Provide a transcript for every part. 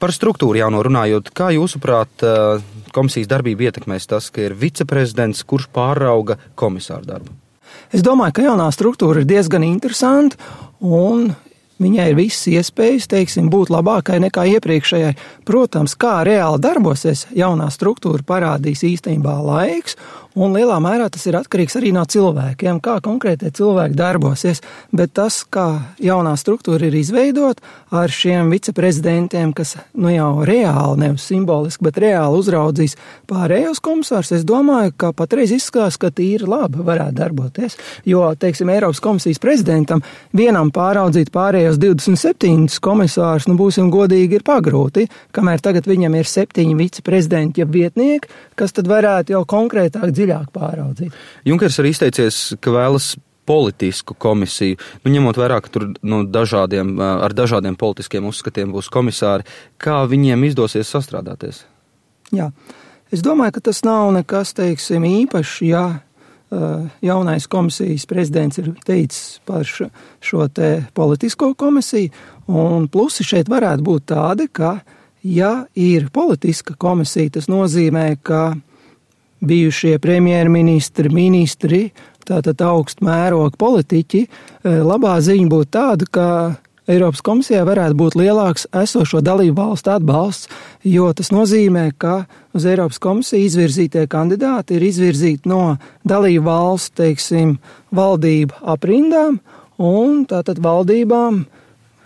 Par struktūru jauno runājot, kā jūsuprāt komisijas darbību ietekmēs tas, ka ir viceprezidents, kurš pārauga komisāru darbu? Es domāju, ka jaunā struktūra ir diezgan interesanta un viņai ir visas iespējas, teiksim, būt labākai nekā iepriekšējai. Protams, kā reāli darbosies jaunā struktūra parādīs īstenībā laiks, un lielā mērā tas ir atkarīgs arī no cilvēkiem, kā konkrētie cilvēki darbosies. Bet tas, kā jaunā struktūra ir izveidot ar šiem viceprezidentiem, kas jau reāli, nevis simboliski, bet reāli uzraudzīs pārējos komisārus, es domāju, ka patreiz izskatās, ka tīri labi varētu darboties. Jo, teiksim, Eiropas komisijas prezidentam vienam pāraudzīt pārējos 27 komisārus, būsim godīgi, ir pagrūti, kamēr tagad viņam ir 7 viceprezidenti, ja vietnieki, kas tad varētu jau konkrētāk dziļāk pāraudzīt. Junkers arī izteicies, ka vēlas politisku komisiju. Ņemot vērā, ka tur ar dažādiem politiskiem uzskatiem būs komisāri, kā viņiem izdosies sastrādāties? Jā, es domāju, ka tas nav nekas, teiksim, īpašs, ja jaunais komisijas prezidents ir teicis par šo te politisko komisiju, un plusi šeit varētu būt tādi, ka, ja ir politiska komisija, tas nozīmē, ka bijušie premjerministri, tātad augstu mēroga politiķi, labā ziņa būtu tāda, ka Eiropas komisijā varētu būt lielāks esošo dalību valstu atbalsts, jo tas nozīmē, ka uz Eiropas komisiju izvirzītie kandidāti ir izvirzīti no dalību valstu, teiksim, valdību aprindām, un tātad valdībām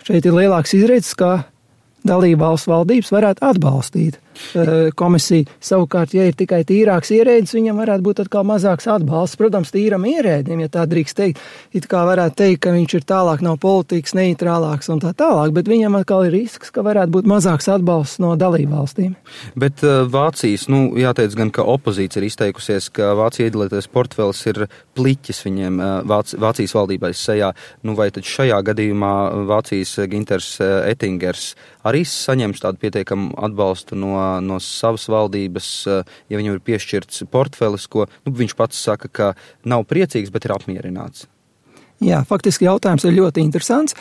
šeit ir lielāks izredzes, ka dalību valstu valdības varētu atbalstīt komisiju. Savukārt, ja ir tikai tīrāks ierēdnis, viņam varētu būt atkal mazāks atbalsts. Protams, tīram ierēdnim, ja tā drīkst teikt, it kā varētu teikt, ka viņš ir tālāk nav politikas, neitrālāks un tā tālāk, bet viņam atkal ir risks, ka varētu būt mazāks atbalsts no dalību valstīm. Bet Vācijas, jāteic gan, ka opozīcija ir izteikusies, ka Vācija iedalītais portfelis ir pliķis viņiem Vācijas valdībai sejā. Vai tad šajā gadījumā Vācijas Ginters Ettingers arī saņems tādu pietiekamu atbalstu no savas valdības, ja viņam ir piešķirts portfelis, ko viņš pats saka, ka nav priecīgs, bet ir apmierināts? Jā, faktiski jautājums ir ļoti interesants.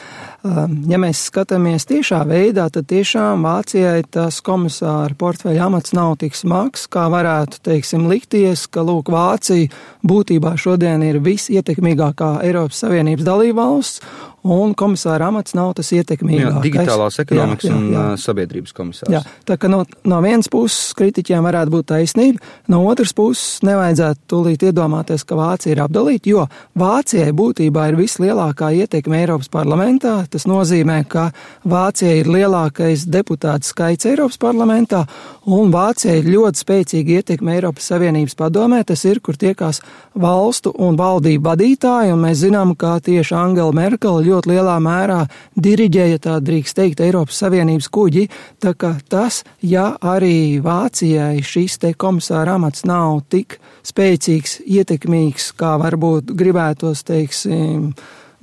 Ja mēs skatāmies tiešā veidā, tad tiešām Vācijai tas komisāra portfeļa amats nav tik smags, kā varētu, teiksim, likties, ka, Vācija būtībā šodien ir visietekmīgākā Eiropas Savienības dalībvalsts, un komisāra amats nav tas ietekmīgākais. Jā, digitālās ekonomikas un sabiedrības komisārs. Jā, tā ka no vienas puses kritiķiem varētu būt taisnība, no otras puses nevajadzētu tūlīt iedomāties, ka Vācija ir apdalīta, jo Vācijai būtībā ir vislielākā ietekme Eiropas parlamentā. Tas nozīmē, ka Vācijai ir lielākais deputātu skaits Eiropas parlamentā, un Vācijai ir ļoti spēcīga ietekme Eiropas Savienības padomē. Tas ir, kur tiekās valstu un valdību vadītāji, un mēs zinām, ka tieši Angela Merkele ļoti lielā mērā diriģēja, tā drīkst teikt, Eiropas Savienības kuģi, tā ka tas, ja arī Vācijai šis te komisāra amats nav tik spēcīgs, ietekmīgs, kā varbūt gribētos, teiksim,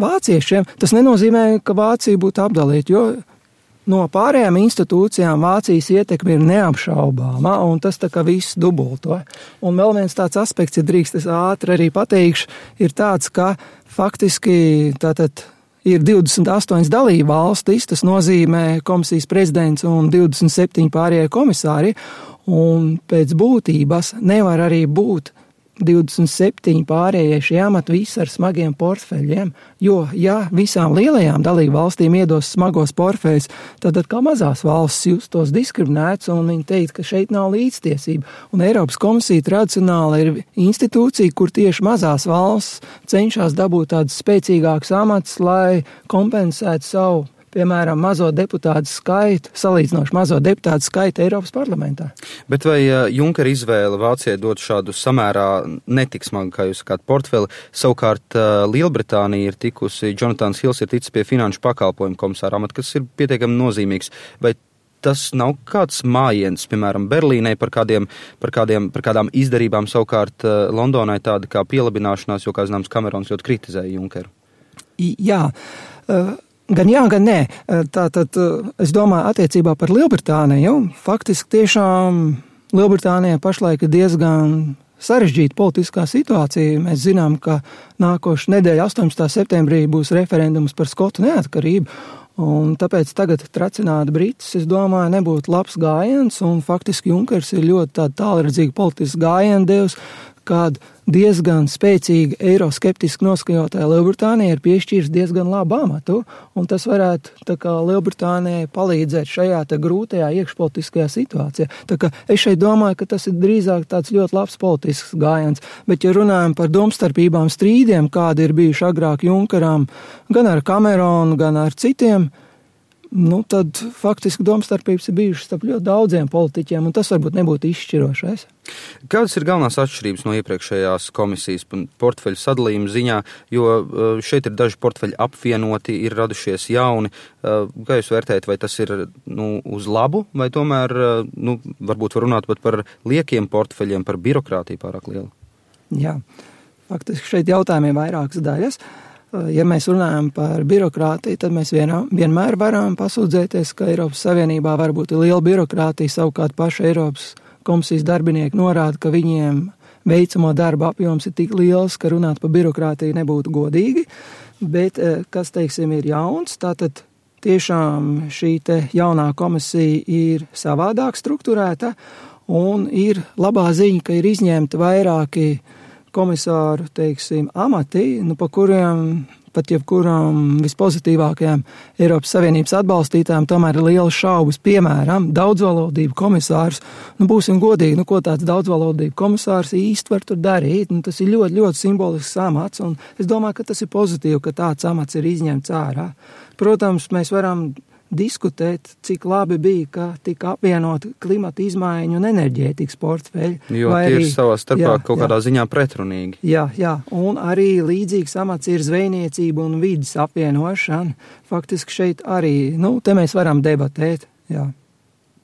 vāciešiem, tas nenozīmē, ka Vācija būtu apdalīta, jo no pārējām institūcijām Vācijas ietekme ir neapšaubāma, un tas tā kā viss dubulto. Un vēl viens tāds aspekts, ja drīkst es ātri arī pateikšu, ir tāds, ka faktiski tātad ir 28 dalību valstis, tas nozīmē komisijas prezidents un 27 pārējie komisāri, un pēc būtības nevar arī būt 27 pārējie šie amati visi ar smagiem portfeļiem, jo, ja visām lielajām dalību valstīm iedos smagos portfeļus, tad kā mazās valsts justos diskriminēts, un viņi teikt, ka šeit nav līdztiesība. Un Eiropas komisija tradicionāli ir institūcija, kur tieši mazās valsts cenšas dabūt tādus spēcīgākus amatus, lai kompensētu savu, piemēram, mazo deputātu skaitu, salīdzinoši mazo deputātu skaitu Eiropas parlamentā. Bet vai Junkera izvēle Vācijai dot šādu samērā netik smagu, kā jūs sakāt, portfeli? Savukārt Lielbritānija ir tikusi, Jonatans Hills ir ticis pie finanšu pakalpojumu komisāra amata, kas ir pietiekami nozīmīgs. Vai tas nav kāds mājiens, piemēram, Berlīnai par kādām izdarībām, savukārt Londonai tāda kā pielabināšanās, jo, kā zināms, Kamerons ļoti kritizēja Junkeru? Jā, gan jā, gan nē. Tātad, es domāju, attiecībā par Lielbritāniju, faktiski tiešām Lielbritānijā pašlaik ir diezgan sarežģīta politiskā situācija. Mēs zinām, ka nākošu nedēļu 18. septembrī būs referendums par Skotu neatkarību, Un tāpēc tagad tracināt Britus, es domāju, nebūtu labs gājiens, un faktiski Junkers ir ļoti tāda tālredzīga politisks gājiena devs, kāda diezgan spēcīga eiroskeptiski noskaņotāja Lielbritānija ir piešķīris diezgan labu amatu, un tas varētu tā kā Lielbritānijai palīdzēt šajā te grūtajā iekšpolitiskajā situācijā. Tā kā es šeit domāju, ka tas ir drīzāk tāds ļoti labs politisks gājiens, bet ja runājam par domstarpībām strīdiem, kādi ir bijuši agrāk Junkeram, gan ar Cameronu, gan ar citiem, tad faktiski domstarpības ir bijušas starp ļoti daudziem politiķiem, un tas varbūt nebūtu izšķirošais. Kādas ir galvenās atšķirības no iepriekšējās komisijas portfeļu sadalījuma ziņā, jo šeit ir daži portfeļi apvienoti, ir radušies jauni. Kā jūs vērtējat, vai tas ir uz labu, vai tomēr varbūt var runāt pat par liekiem portfeļiem, par birokrātiju pārāk lielu? Jā, faktiski šeit jautājumiem vairākas daļas. Ja mēs runājam par birokrātiju, tad mēs vienmēr varam pasūdzēties, ka Eiropas Savienībā varbūt ir liela birokrātija, savukārt paši Eiropas komisijas darbinieki norāda, ka viņiem veicamo darba apjoms ir tik liels, ka runāt par birokrātiju nebūtu godīgi, bet kas, teiksim, ir jauns, tātad tiešām šī te jaunā komisija ir savādāk strukturēta un ir labā ziņa, ka ir izņemti vairāki komisāru, teiksim, amati, pa kuriem pat jebkuram vispozitīvākajām Eiropas Savienības atbalstītājiem tomēr ir lielas šaubas. Piemēram, daudzvalodību komisārs, būsim godīgi, ko tāds daudzvalodību komisārs īsti var tur darīt, tas ir ļoti, ļoti simbolisks amats, un es domāju, ka tas ir pozitīvi, ka tāds amats ir izņemts ārā. Protams, mēs varam diskutēt, cik labi bija, ka tika apvienot klimata izmaiņu un enerģētikas portfeļi. Jo tie ir savā starpā kaut kādā ziņā pretrunīgi. Jā, un arī līdzīgs amats ir zvejniecība un vidas apvienošana. Faktiski šeit arī, te mēs varam debatēt, jā.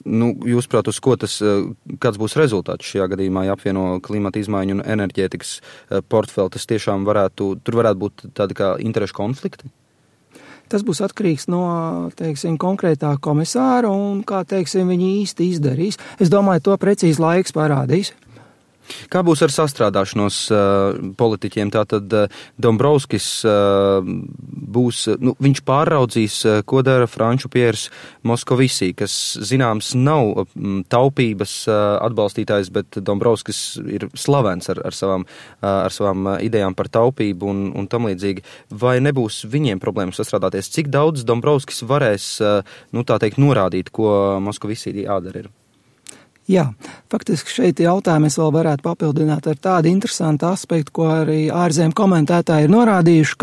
Jūsuprāt, uz ko kāds būs rezultāts šajā gadījumā, ja apvieno klimata izmaiņu un enerģētikas portfeli, tas tiešām tur varētu būt tādi kā interešu konflikti? Tas būs atkarīgs no, konkrētā komisāra un, viņi īsti izdarīs. Es domāju, to precīzi laiks parādīs. Kā būs ar sastrādāšanos politiķiem? Tātad Dombrovskis būs, viņš pāraudzīs, ko dara Franču Piers Moskovisī, kas, zināms, nav taupības atbalstītājs, bet Dombrovskis ir slavens ar savām idejām par taupību un tam līdzīgi. Vai nebūs viņiem problēmas sastrādāties? Cik daudz Dombrovskis varēs, norādīt, ko Moskovisī jādara ir? Jā, faktiski šeit jautājumu es vēl varētu papildināt ar tādu interesantu aspektu, ko arī ārzemju komentētāji ir norādījuši,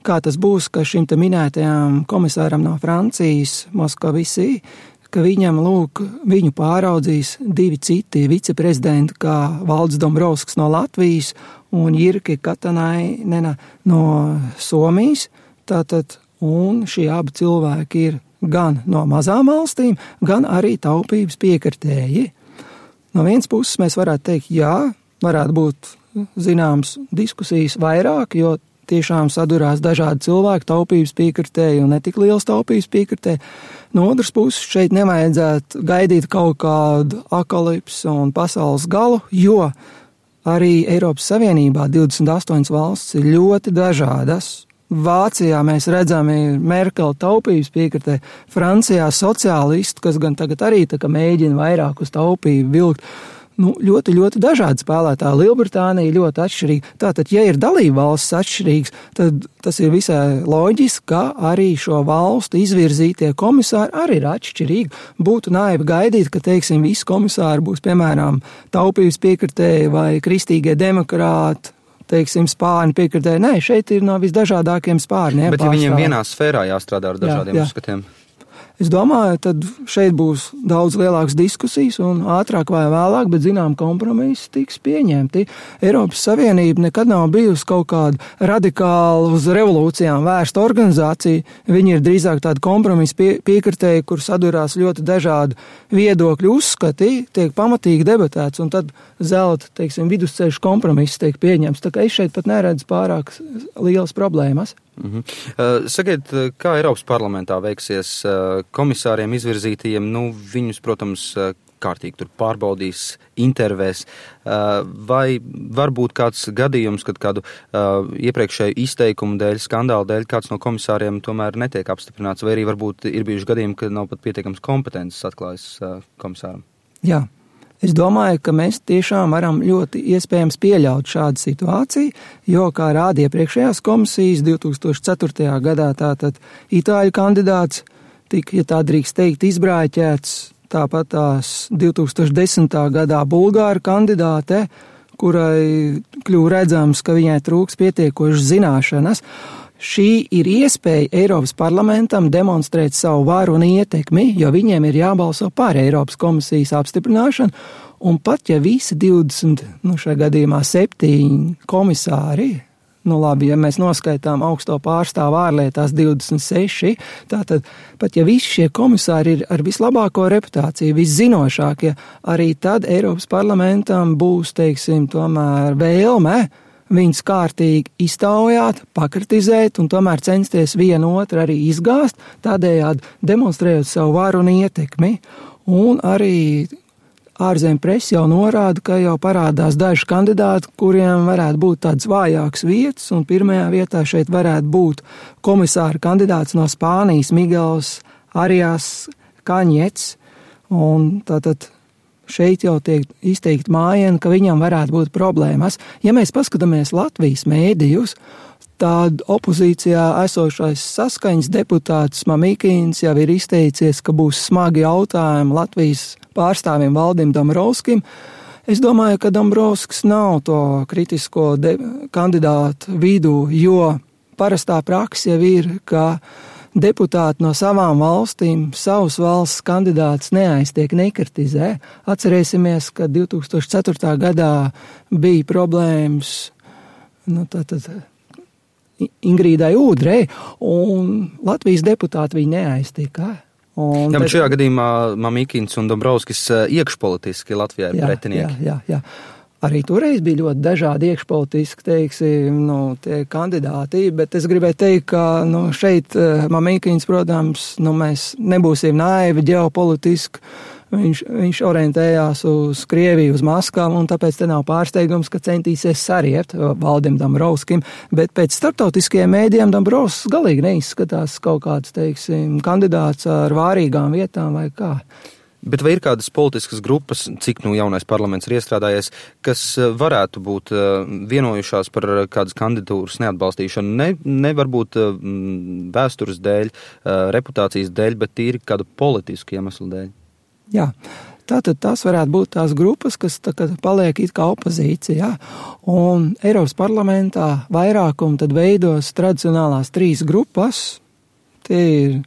kā tas būs, ka šim te minētajam komisāram no Francijas, Moskovisī, ka viņu pāraudzīs divi citi viceprezidenti, kā Valdis Dombrovskis no Latvijas un Jirki Katanainena no Somijas, un šie abi cilvēki ir gan no mazām valstīm, gan arī taupības piekritēji. No vienas puses mēs varētu teikt, jā, varētu būt zināms diskusijas vairāk, jo tiešām sadurās dažādi cilvēki, taupības piekritēji un netik liels taupības piekritēji. No otras puses šeit nevajadzētu gaidīt kaut kādu akalipsi un pasaules galu, jo arī Eiropas Savienībā 28 valsts ir ļoti dažādas. Vācijā mēs redzam Merkela taupības piekritē, Francijā sociālistu, kas gan tagad arī mēģina vairāk uz taupību vilkt. Ļoti, ļoti dažādi spēlētāji. Lielbritānija ļoti atšķirīga. Tātad, ja ir dalība valsts atšķirīgs, tad tas ir visai loģiski, ka arī šo valstu izvirzītie komisāri arī ir atšķirīgi. Būtu naivi gaidīt, ka, visi komisāri būs, piemēram, taupības piekritēji vai kristīgie demokrāti, spārni piekritēji. Nē, šeit ir no visdažādākiem spārniem. Bet ja viņiem vienā sfērā jāstrādā ar dažādiem uzskatiem? Es domāju, tad šeit būs daudz lielākas diskusijas un ātrāk vai vēlāk, bet zinām kompromisi tiks pieņemti. Eiropas Savienība nekad nav bijusi kaut kāda radikāla uz revolūcijām vērsta organizācija. Viņi ir drīzāk tādi kompromisi piekritēji, kur sadurās ļoti dažādi viedokļu uzskati, tiek pamatīgi debatēts un tad zelta, vidusceļš kompromiss tiek pieņemts. Tā kā es šeit pat neredzu pārāk lielas problēmas. Sakiet, kā Eiropas parlamentā veiksies komisāriem izvirzītajiem, viņus, protams, kārtīgi tur pārbaudīs, intervēs, vai varbūt kāds gadījums, kad kādu iepriekšēju izteikumu dēļ, skandālu dēļ kāds no komisāriem tomēr netiek apstiprināts, vai arī varbūt ir bijuši gadījumi, kad nav pat pietiekams kompetences atklājas komisāram? Jā. Es domāju, ka mēs tiešām varam ļoti iespējams pieļaut šādu situāciju, jo, kā rāda iepriekšējās komisijas, 2004. gadā tātad itāļu kandidāts tika, ja tā drīkst teikt, izbrāķēts, tāpat tās 2010. gadā bulgāru kandidāte, kurai kļuva redzams, ka viņai trūks pietiekošas zināšanas. Šī ir iespēja Eiropas parlamentam demonstrēt savu varu un ietekmi, jo viņiem ir jābalso par Eiropas komisijas apstiprināšanu, un pat ja visi 20, šajā gadījumā 7 komisāri, labi, ja mēs noskaitām augsto pārstāvu ārlietās 26, tātad pat ja visi šie komisāri ir ar vislabāko reputāciju, viszinošākie, arī tad Eiropas parlamentam būs, teiksim, tomēr vēlme viņus kārtīgi iztaujāt, pakritizēt un tomēr censties vienu otru arī izgāzt, tādējādi demonstrējot savu varu un ietekmi. Un arī ārzemju presa jau norāda, ka jau parādās daži kandidāti, kuriem varētu būt tāds vājāks vietas, un pirmajā vietā šeit varētu būt komisāra kandidāts no Spānijas Miguels Arias Kaņets, un tātad šeit jau tiek izteikti mājieni, ka viņam varētu būt problēmas. Ja mēs paskatāmies Latvijas mēdījus, tad opozīcijā esošais saskaņas deputāts Mamikins jau ir izteicies, ka būs smagi jautājumi Latvijas pārstāvim Valdim Dombrovskim. Es domāju, ka Dombrovskis nav to kritisko kandidātu vidū, jo parastā praksa jau ir, ka deputāti no savām valstīm, savas valsts kandidātus neaiztiek, nekritizē. Atcerēsimies, ka 2004. gadā bija problēmas Ingrīdai Ūdrei, un Latvijas deputāti viņi neaiztika. Jā, bet šajā gadījumā Mamikins un Dombrovskis iekšpolitiski Latvijā ir pretinieki. Jā. Arī toreiz bija ļoti dažādi iekšpolitiski, teiksim, tie kandidāti, bet es gribēju teikt, ka šeit Mamikins, protams, mēs nebūsim naivi ģeopolitiski. Viņš orientējās uz Krieviju, uz Maskavu, un tāpēc te nav pārsteigums, ka centīsies sariept Valdim Dombrovskim, bet pēc starptautiskajiem mēdījiem Dombrovskis galīgi neizskatās kaut kāds, teiksim, kandidāts ar vārīgām vietām vai kā. Bet vai ir kādas politiskas grupas, cik jaunais parlaments ir iestrādājies, kas varētu būt vienojušās par kādas kandidatūras neatbalstīšanu? Ne varbūt vēstures dēļ, reputācijas dēļ, bet tīri kādu politisku iemeslu dēļ? Jā, tātad tās varētu būt tās grupas, kas paliek it kā opozīcijā. Un Eiropas parlamentā vairākumu tad veidos tradicionālās 3 grupas. Tie ir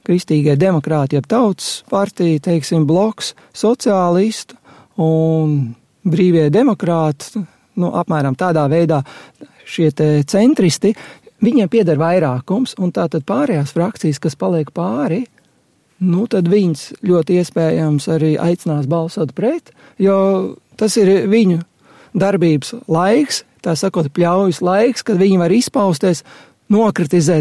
Kristīgie demokrāti, jeb Tautas partija, teiksim, bloks, sociālistu un brīvie demokrāti, apmēram tādā veidā šie te centristi, viņiem pieder vairākums, un tātad pārējās frakcijas, kas paliek pāri, tad viņas ļoti iespējams arī aicinās balsot pret, jo tas ir viņu darbības laiks, tā sakot, pļaujas laiks, kad viņi var izpausties, nokritizēt